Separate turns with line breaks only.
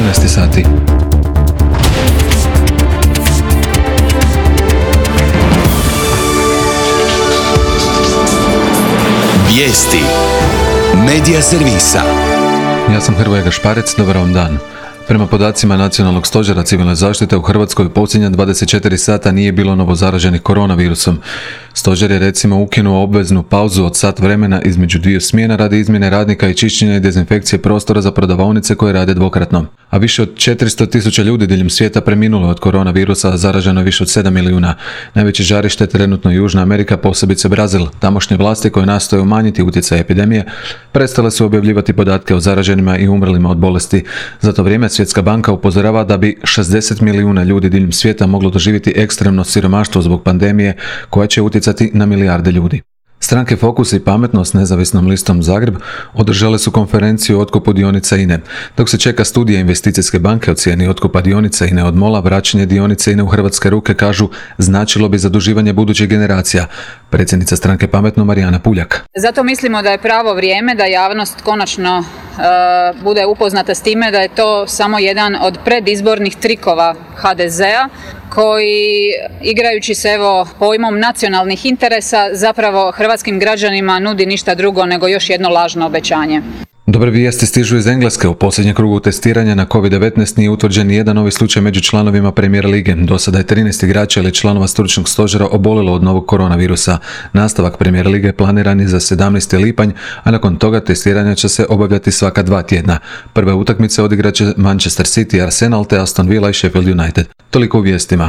14 sati.
Vijesti Medija servisa.
Ja sam Hrvoje Gašparec, dobar vam dan. Prema podacima Nacionalnog stožera civilne zaštite u Hrvatskoj u posljednja 24 sata nije bilo novozaraženih koronavirusom. Stožer je recimo ukinuo obveznu pauzu od sat vremena između dviju smjena radi izmjene radnika i čišćenja i dezinfekcije prostora za prodavaonice koje rade dvokratno. A više od 400.000 ljudi diljem svijeta preminulo od koronavirusa, a zaraženo je više od 7 milijuna. Najveće žarište trenutno Južna Amerika, posebice Brazil. Tamošnje vlasti koje nastoje umanjiti utjecaj epidemije prestale su objavljivati podatke o zaraženima i umrlima od bolesti. Za to vrijeme Svjetska banka upozorava da bi 60 milijuna ljudi diljem svijeta moglo doživjeti ekstremno siromaštvo zbog pandemije koja će utjecati na milijarde ljudi. Stranke Fokus i Pametno s nezavisnom listom Zagreb održale su konferenciju o otkupu dionica INE. Dok se čeka studija investicijske banke o cijeni otkupa dionica INE od MOL-a, vraćanje dionice INE u hrvatske ruke, kažu, značilo bi zaduživanje budućih generacija. Predsjednica stranke Pametno Marijana Puljak.
Zato mislimo da je pravo vrijeme da javnost konačno bude upoznata s time da je to samo jedan od predizbornih trikova HDZ-a koji, igrajući se pojmom nacionalnih interesa, zapravo hrvatskim građanima nudi ništa drugo nego još jedno lažno obećanje.
Dobre vijesti stižu iz Engleske. U posljednjem krugu testiranja na COVID-19 nije utvrđen nijedan novi slučaj među članovima Premier lige. Do sada je 13 igrača ili članova stručnog stožera obolilo od novog koronavirusa. Nastavak Premier lige planiran je za 17. lipanj, a nakon toga testiranja će se obavljati svaka 2 tjedna. Prve utakmice odigrat će Manchester City, Arsenal te Aston Villa i Sheffield United. Toliko u vijestima.